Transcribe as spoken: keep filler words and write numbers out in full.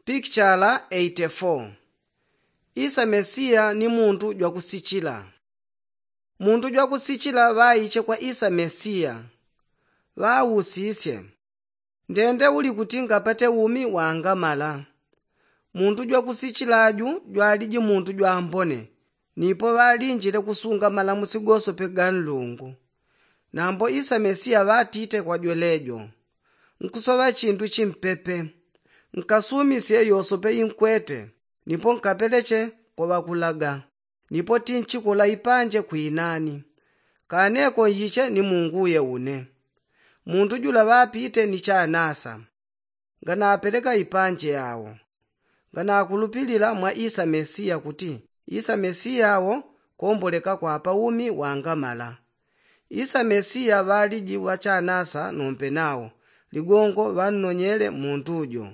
Pikichala eighty-four. Isa mesiya ni muntu jwakusichila. Muntu jwakusichila ŵaiche kwa isa mesiya, ŵausisye, ndende uli kuti ngapate umi wangamala? Muntu jwakusichila aju jwaliji muntu jwambone, nipo ŵalinjile kusunga malamusi gosope ga nlungu. Nambo isa mesiya ŵatite kwa jwelejo, nkusoŵa chindu chimpepe. Nkasumisye yosope inkwete, nipo nkapeleche kwa ŵakulaga. Nipo tinchikula ipanje kwinani, kaneko nyiche ni munguye une. Muntu jula ŵapite ni chanasa, nganapeleka ipanje yao. Nganakulupilila mwa isa mesiya kuti isa mesiya wo komboleka kwapa umi wangamala. Isa mesiya ŵaliji ŵachanasa nompe nao ligongo ŵannonyele muntu jo.